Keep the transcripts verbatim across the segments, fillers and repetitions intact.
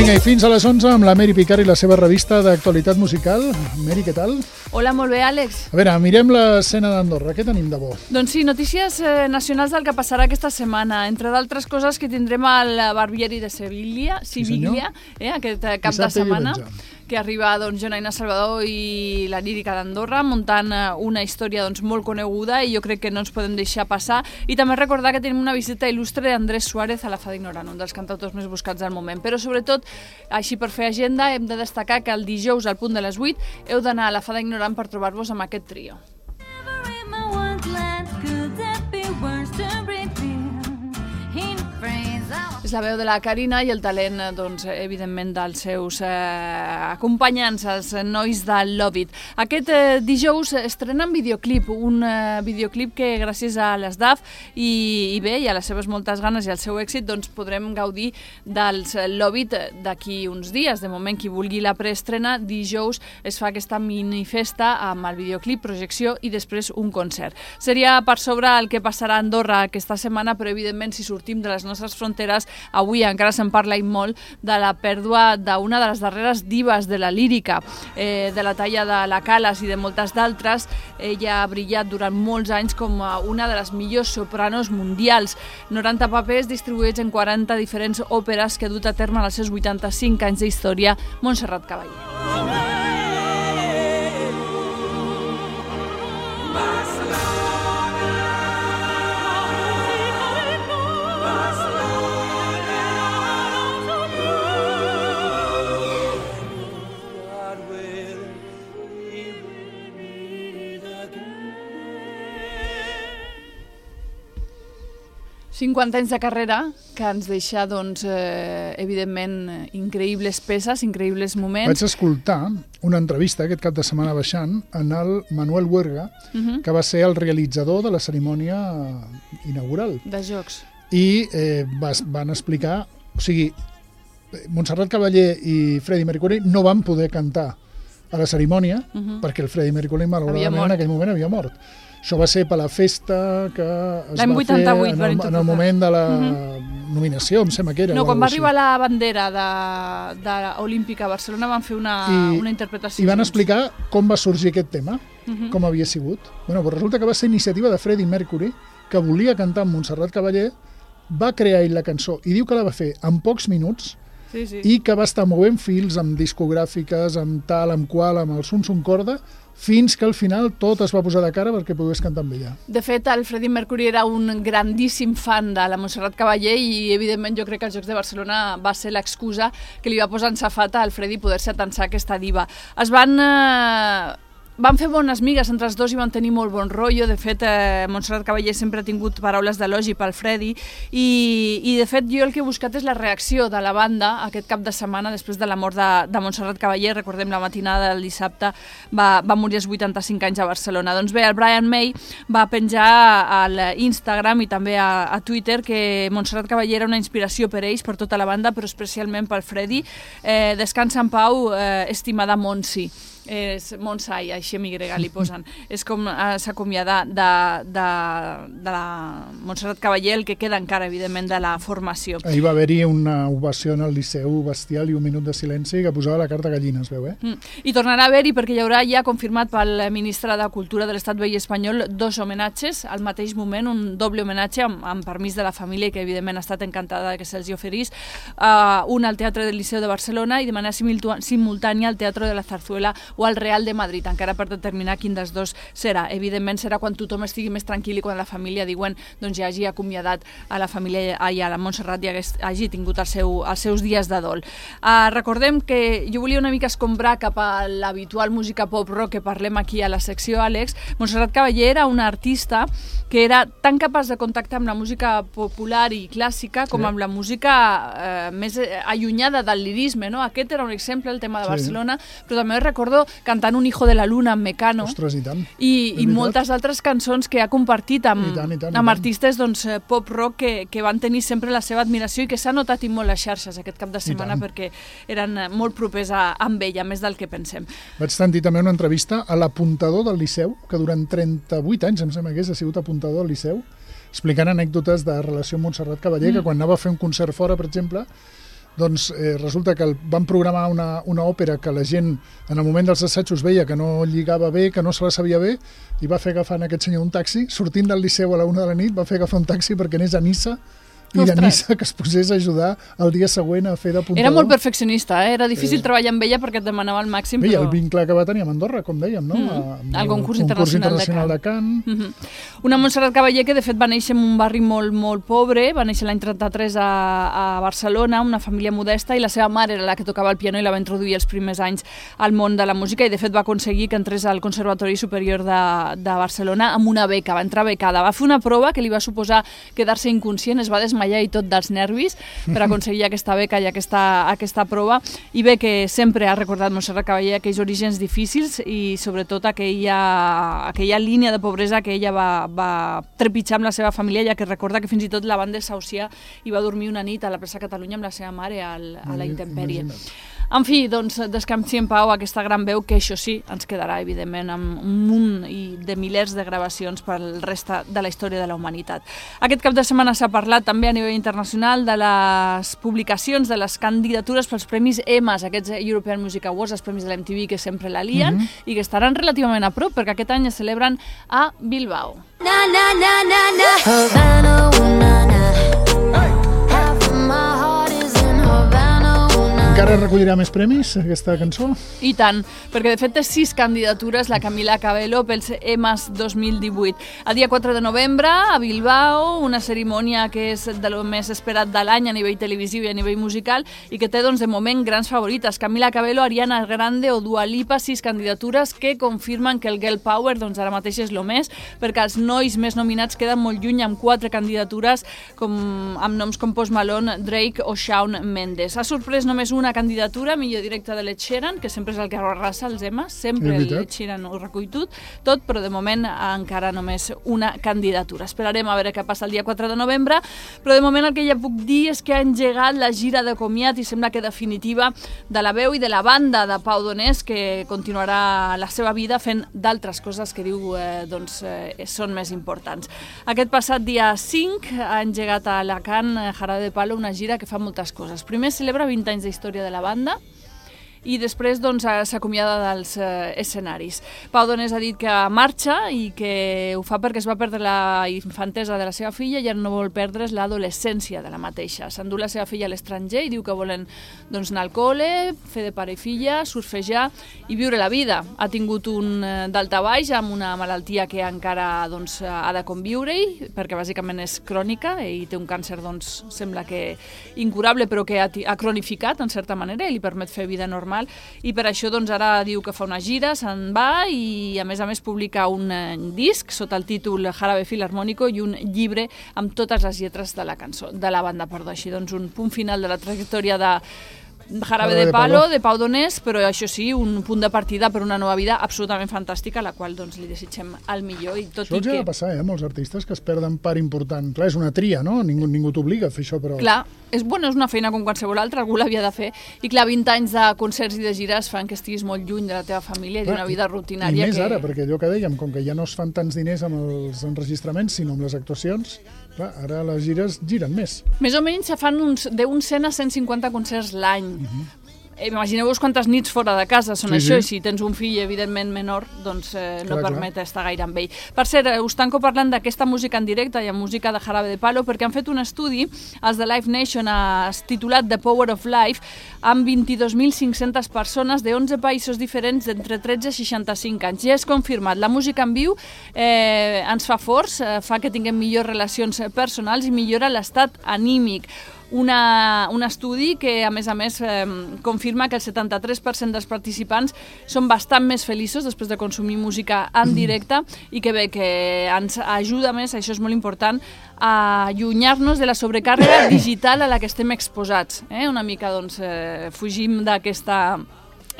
Vinga, i fins a les onze amb la Meri Picard i la seva revista d'actualitat musical. Meri, què tal? Hola, molt bé, Àlex. A veure, mirem l'escena d'Andorra. Què tenim de bo? Doncs sí, notícies eh, nacionals del que passarà aquesta setmana. Entre d'altres coses que tindrem al Barbieri de Sevilla, Sevilla, sí, eh, aquest eh, cap de setmana, que arriba doncs, Jonaina Salvador i la lírica d'Andorra, muntant una història doncs, molt coneguda i jo crec que no ens podem deixar passar. I també recordar que tenim una visita il·lustre d'Andrés Suárez a la Fada Ignorant, un dels cantautors més buscats al moment. Però sobretot, així per fer agenda, hem de destacar que el dijous al punt de les vuit heu d'anar a la Fada Ignorant per trobar-vos amb aquest trio. És la veu de la Carina i el talent, doncs, evidentment, dels seus eh, acompanyants, els nois de Love It. Aquest eh, dijous estrenen videoclip, un eh, videoclip que gràcies a l'Esdaf i, i bé, i a les seves moltes ganes i al seu èxit, doncs podrem gaudir dels Love It d'aquí uns dies. De moment, qui vulgui la preestrena, dijous es fa aquesta minifesta amb el videoclip, projecció i després un concert. Seria per sobre el que passarà a Andorra aquesta setmana, però evidentment si sortim de les nostres fronteres, avui encara se'n parla i molt de la pèrdua d'una de les darreres divas de la lírica, eh, de la talla de la Calas i de moltes d'altres. Ella ha brillat durant molts anys com una de les millors sopranos mundials. noranta papers distribuïts en quaranta diferents òperes que ha dut a terme en els seus vuitanta-cinc anys d'història, Montserrat Caballé. cinquanta anys de carrera que ens deixa, doncs, eh, evidentment, increïbles peces, increïbles moments. Vaig escoltar una entrevista aquest cap de setmana baixant en el Manuel Huerga, uh-huh. que va ser el realitzador de la cerimònia inaugural. De Jocs. I eh, vas, van explicar... O sigui, Montserrat Caballé i Freddie Mercury no van poder cantar a la cerimònia uh-huh. perquè el Freddie Mercury, malauradament, en aquell moment havia mort. Això va ser per la festa que es va fer en el, en el moment de la uh-huh. nominació, em sembla que era. No, quan va arribar la bandera de, de Olímpica a Barcelona van fer una, I, una interpretació. I van explicar com va sorgir aquest tema, uh-huh. com havia sigut. Bueno, doncs resulta que va ser iniciativa de Freddie Mercury, que volia cantar amb Montserrat Caballé, va crear ell la cançó i diu que la va fer en pocs minuts sí, sí. i que va estar movent fils amb discogràfiques, amb tal, amb qual, amb el Sun Sun Corda, fins que al final tot es va posar de cara perquè pogués cantar amb ella. De fet, el Freddie Mercury era un grandíssim fan de la Montserrat Caballé i, evidentment, jo crec que els Jocs de Barcelona va ser l'excusa que li va posar en safata al Freddie poder-se atansar aquesta diva. Es van... Eh... Van fer bones migues entre els dos i van tenir molt bon rotllo. De fet, eh, Montserrat Caballé sempre ha tingut paraules d'elogi pel Freddy i, i, de fet, jo el que he buscat és la reacció de la banda aquest cap de setmana després de la mort de, de Montserrat Caballé. Recordem, la matinada del dissabte va, va morir als vuitanta-cinc anys a Barcelona. Doncs bé, el Brian May va penjar a l'Instagram i també a, a Twitter que Montserrat Caballé era una inspiració per ells, per tota la banda, però especialment pel Freddy. Eh, descansa en pau, eh, estimada Montsi. És Montsai, així amb Y li posen. És com eh, s'acomiada de, de, de la Montserrat Caballé, el que queda encara, evidentment, de la formació. Ahir va haver-hi una ovació en el Liceu bestial i un minut de silenci que posava la carta gallina, es veu, eh? Mm. I tornarà a haver-hi perquè hi haurà ja confirmat pel ministre de Cultura de l'Estat Vell Espanyol dos homenatges al mateix moment, un doble homenatge amb, amb permís de la família que evidentment ha estat encantada que se'ls oferís, uh, un al Teatre del Liceu de Barcelona i de manera simultània al Teatre de la Zarzuela o al Real de Madrid, encara per determinar quin dels dos serà. Evidentment serà quan tothom estigui més tranquil i quan la família diuen doncs ja hagi acomiadat a la família i a la Montserrat i hagi tingut el seu, els seus dies de dol. Uh, recordem que jo volia una mica escombrar cap a l'habitual música pop-rock que parlem aquí a la secció, Àlex. Montserrat Caballé era una artista que era tan capaç de contactar amb la música popular i clàssica com amb la música eh, més allunyada del lirisme, no? Aquest era un exemple, el tema de Barcelona, sí. Però també recordo cantant Un hijo de la luna amb Mecano. Ostres, i tant. I, i moltes altres cançons que ha compartit amb, I tant, i tant, amb i artistes doncs, pop-rock que, que van tenir sempre la seva admiració i que s'ha notat i molt les xarxes aquest cap de setmana perquè eren molt propers a, amb ella, més del que pensem. Vaig sentir també una entrevista a l'apuntador del Liceu, que durant trenta-vuit anys, em sembla que és, ha sigut apuntador del Liceu, explicant anècdotes de relació amb Montserrat Caballé, mm. que quan anava a fer un concert fora, per exemple, doncs eh, resulta que el, van programar una, una òpera que la gent en el moment dels assajos veia que no lligava bé, que no se la sabia bé, i va fer agafar aquest senyor un taxi, sortint del Liceu a la una de la nit, va fer agafar un taxi perquè anés a Niça, i de Niça que es posés a ajudar el dia següent a fer d'apuntador. Era molt perfeccionista, eh? Era difícil eh... treballar amb ella perquè et demanava el màxim. Bé, però... el vincle que va tenir amb Andorra, com dèiem, no? Mm, el concurs, el internacional, concurs internacional de Cant. De Cant. Mm-hmm. Una Montserrat Caballé que de fet va néixer en un barri molt, molt pobre, va néixer l'any trenta-tres a, a Barcelona, una família modesta, i la seva mare era la que tocava el piano i la va introduir els primers anys al món de la música, i de fet va aconseguir que entrés al Conservatori Superior de, de Barcelona amb una beca, va entrar becada. Va fer una prova que li va suposar quedar-se inconscient, es va desmaiar i tot dels nervis per aconseguir aquesta beca i aquesta, aquesta prova, i bé que sempre ha recordat Montserrat Caballé aquells orígens difícils i sobretot aquella, aquella línia de pobresa que ella va, va trepitjar amb la seva família, ja que recorda que fins i tot la van desahuciar i va dormir una nit a la plaça Catalunya amb la seva mare al, a la intempèrie. En fi, doncs, descansi en pau aquesta gran veu que, això sí, ens quedarà, evidentment, amb un munt de milers de gravacions pel resta de la història de la humanitat. Aquest cap de setmana s'ha parlat també a nivell internacional de les publicacions, de les candidatures pels premis E M A S, aquests European Music Awards, els premis de l'M T V que sempre la lien, mm-hmm. i que estaran relativament a prop, perquè aquest any es celebren a Bilbao. Na, na, na, na, na. Havana, una, na. Hey. Half of my heart is in Havana. Encara recollirà més premis, aquesta cançó? I tant, perquè de fet té sis candidatures la Camila Cabello pels E M A S dos mil divuit. El dia quatre de novembre, a Bilbao, una cerimònia que és de lo més esperat de l'any a nivell televisiu i a nivell musical i que té, doncs, de moment grans favorites. Camila Cabello, Ariana Grande o Dua Lipa, sis candidatures que confirmen que el Girl Power, doncs, ara mateix és lo més, perquè els nois més nominats queden molt lluny amb quatre candidatures com, amb noms com Post Malone, Drake o Shawn Mendes. Ha sorprès només una una candidatura, millor directe de l'Ed Sheeran, que sempre és el que arrasa els E M A S, sempre l'Ed Sheeran ho recull tot, tot, però de moment encara només una candidatura. Esperarem a veure què passa el dia quatre de novembre, però de moment el que ja puc dir és que ha engegat la gira de comiat i sembla que definitiva de la veu i de la banda de Pau Donés, que continuarà la seva vida fent d'altres coses que diu eh, doncs, eh, són més importants. Aquest passat dia cinc ha engegat a Alacant Jarabe de Palo una gira que fa moltes coses. Primer celebra vint anys d'història de la banda i després doncs, s'acomiada dels eh, escenaris. Pau Donés ha dit que marxa i que ho fa perquè es va perdre la infantesa de la seva filla i ara no vol perdre's l'adolescència de la mateixa. S'endú la seva filla a l'estranger i diu que volen doncs, anar al col·le, fer de pare i filla, surfejar i viure la vida. Ha tingut un eh, daltabaix amb una malaltia que encara doncs, ha de conviure-hi, perquè bàsicament és crònica i té un càncer, doncs, sembla que incurable, però que ha, ha cronificat en certa manera i li permet fer vida normal. I per això doncs, ara diu que fa una gira, se'n va i a més a més publica un eh, disc sota el títol Jarabe Filarmónico i un llibre amb totes les lletres de la cançó, de la banda, perdó. Així doncs un punt final de la trajectòria de Jarabe de Palo, de Pau Donés, però això sí, un punt de partida per una nova vida absolutament fantàstica, a la qual doncs, li desitgem el millor. I tot això els i ha que... de passar, eh, molts artistes que es perden part important. Clar, és una tria, no? Ningú, ningú t'obliga a fer això, però... Clar, és, bueno, és una feina com qualsevol altra, algú l'havia de fer, i clar, vint anys de concerts i de gires fan que estiguis molt lluny de la teva família i d'una vida rutinària. I més que... ara, perquè allò que dèiem, com que ja no es fan tants diners amb els enregistraments, sinó amb les actuacions, clar, ara les gires giren més. Més o menys se fan uns, d'un cent a cent cinquanta concerts l'any. Uh-huh. Imagineu-vos quantes nits fora de casa són sí, això, sí. I si tens un fill evidentment menor, doncs eh, no clar, permet clar. Estar gaire amb ell. Per cert, us tanco parlant d'aquesta música en directe i en música de Jarabe de Palo, perquè han fet un estudi, els de Live Nation, eh, titulat The Power of Life, amb vint-i-dos mil cinc-centes persones de onze països diferents d'entre tretze i seixanta-cinc anys. Ja és confirmat, la música en viu eh, ens fa forts, eh, fa que tinguem millors relacions personals i millora l'estat anímic. Una, un estudi que, a més a més, eh, confirma que el setanta-tres per cent dels participants són bastant més feliços després de consumir música en directe i que bé, que ens ajuda més, això és molt important, a allunyar-nos de la sobrecàrrega digital a la que estem exposats. Eh? Una mica, doncs, eh, fugim d'aquesta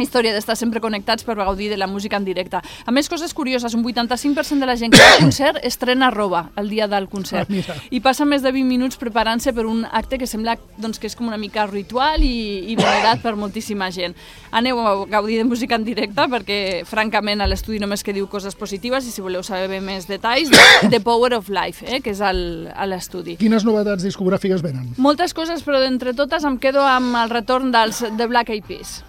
història d'estar sempre connectats per gaudir de la música en directe. A més, coses curioses, un vuitanta-cinc per cent de la gent que va al concert estrena roba el dia del concert. Ah, I passa més de vint minuts preparant-se per un acte que sembla doncs, que és com una mica ritual i, i venerat per moltíssima gent. Aneu a gaudir de música en directe perquè, francament, a l'estudi només que diu coses positives i si voleu saber més detalls, The Power of Life, eh, que és el, a l'estudi. Quines novetats discogràfiques venen? Moltes coses, però d'entre totes em quedo amb el retorn dels The Black Eyed Peas.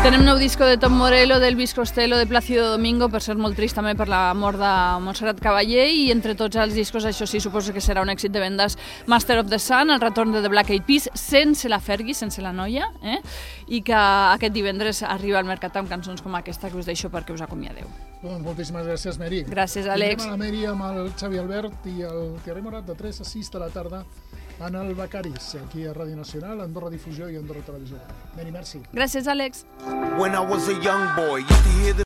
Tenem nou disco de Tom Morello, d'Elvis Costello, de Plácido Domingo, per ser molt trist també per la mort de Montserrat Caballé, i entre tots els discos, això sí, suposo que serà un èxit de vendes, Master of the Sun, el retorn de The Black Eyed Peas, sense la Fergie, sense la noia, eh? I que aquest divendres arriba al mercat amb cançons com aquesta que us deixo perquè us acomiadeu. Doncs moltíssimes gràcies, Meri. Gràcies, Àlex. Tindrem a la Meri amb el Xavi Albert i el Thierry Morat de tres a sis de la tarda en el Becaris, aquí a Ràdio Nacional, Andorra Difusió i Andorra Televisió. Meri, merci. Gràcies, Àlex. When I was a young boy, used to hear the